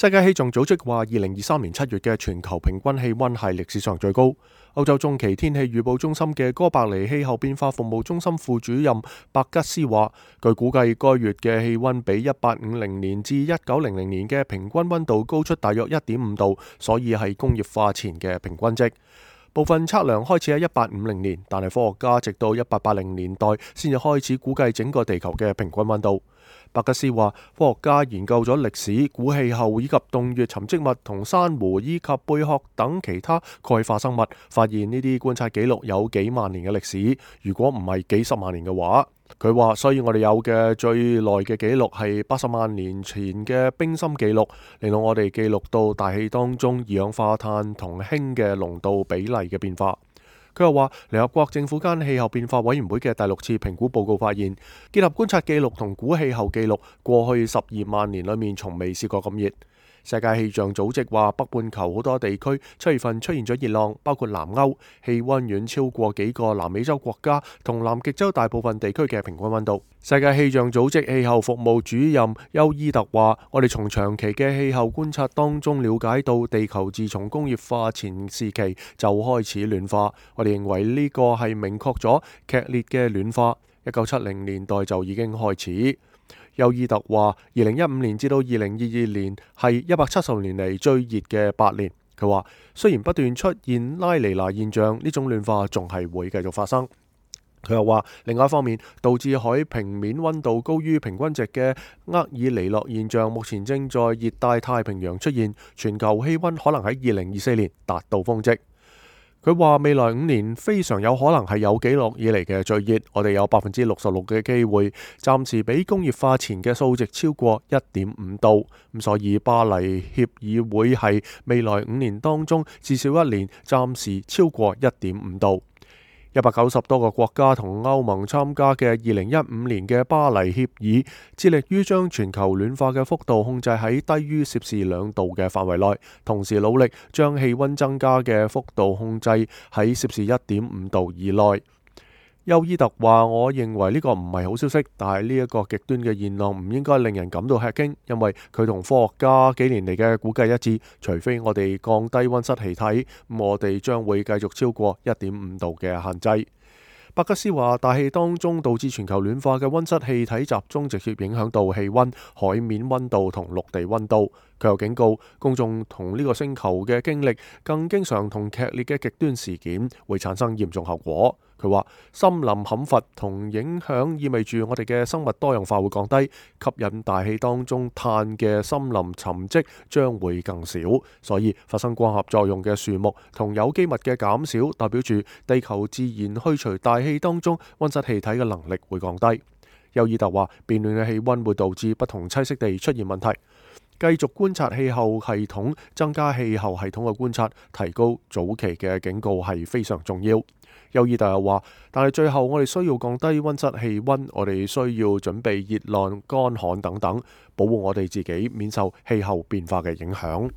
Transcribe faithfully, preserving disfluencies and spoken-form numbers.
世界氣象組織話，二零二三年七月嘅全球平均氣溫係歷史上最高。歐洲中期天氣預報中心嘅哥白尼氣候變化服務中心副主任伯吉斯話，據估計該月嘅氣溫比一八五零年至一九零零年嘅平均溫度高出大約一點五度，所以係工業化前嘅平均值。部分測量開始喺一八五零年，但係科學家直到一八八零年代先至開始估計整個地球嘅平均溫度。伯吉斯話，科學家研究咗歷史、古氣候以及洞穴沉積物同珊瑚以及貝殼等其他鈣化生物，發現呢啲觀察記錄有幾萬年嘅歷史，如果唔係幾十萬年嘅話。佢話，所以我哋有嘅最耐嘅記錄係八十萬年前嘅冰芯記錄，令到我哋記錄到大氣當中二氧化碳同氫嘅濃度比例嘅變化。佢又話，聯合國政府間氣候變化委員會嘅第六次評估報告發現，結合觀察記錄同古氣候記錄，過去十二萬年裏面從未試過咁熱。世界氣象組織話，北半球好多地區七月份出現咗熱浪，包括南歐，氣溫遠超過幾個南美洲國家同南極洲大部分地區嘅平均溫度。世界氣象組織氣候服務主任休伊特話，我哋從長期嘅氣候觀察當中了解到，地球自從工業化前時期就開始暖化。我哋認為呢個係明確咗劇烈嘅暖化，一九七零年代就已經開始。休伊特話，二零一五年至到二零二二年係一百七十年嚟最熱嘅八年。佢話，雖然不斷出現拉尼娜現象，呢種暖化仲係會繼續發生。佢又話，另外一方面，導致海平面溫度高於平均值嘅厄爾尼諾現象，目前正在熱帶太平洋出現，全球氣溫可能喺二零二四年達到峰值。佢話，未來五年非常有可能係有紀錄以嚟嘅最熱，我哋有百分之六十六嘅機會，暫時比工業化前嘅數值超過一點五度。咁所以巴黎協議會係未來五年當中至少一年暫時超過一點五度。一百九十多個國家同歐盟參加嘅二零一五年嘅巴黎協議，致力於將全球暖化嘅幅度控制喺低於攝氏兩度嘅範圍內，同時努力將氣溫增加嘅幅度控制喺攝氏一點五度以內。休伊特話，我認為呢個唔係好消息，但係呢一個極端嘅現象唔應該令人感到吃驚，因為佢同科學家幾年嚟嘅估計一致，除非我哋降低溫室氣體，我哋將會繼續超過一點五度嘅限制。伯吉斯話，大氣當中導致全球暖化嘅溫室氣體集中，直接影響到氣溫、海面溫度同陸地溫度。佢又警告公眾，同呢個星球嘅經歷更經常同劇烈嘅極端事件會產生嚴重後果。佢話，森林砍伐同影響意味住我哋嘅生物多樣化會降低，吸引大氣當中碳嘅森林沉積將會更少，所以發生光合作用嘅樹木同有機物嘅減少，代表住地球自然去除大氣當中溫室氣體嘅能力會降低。休伊特話，變暖嘅氣溫會導致不同棲息地出現問題，繼續觀察氣候系統，增加氣候系統嘅觀察，提高早期嘅警告係非常重要。休伊特又話，但係最後我哋需要降低溫室氣溫，我哋需要準備熱浪、乾旱等等，保護我哋自己免受氣候變化嘅影響。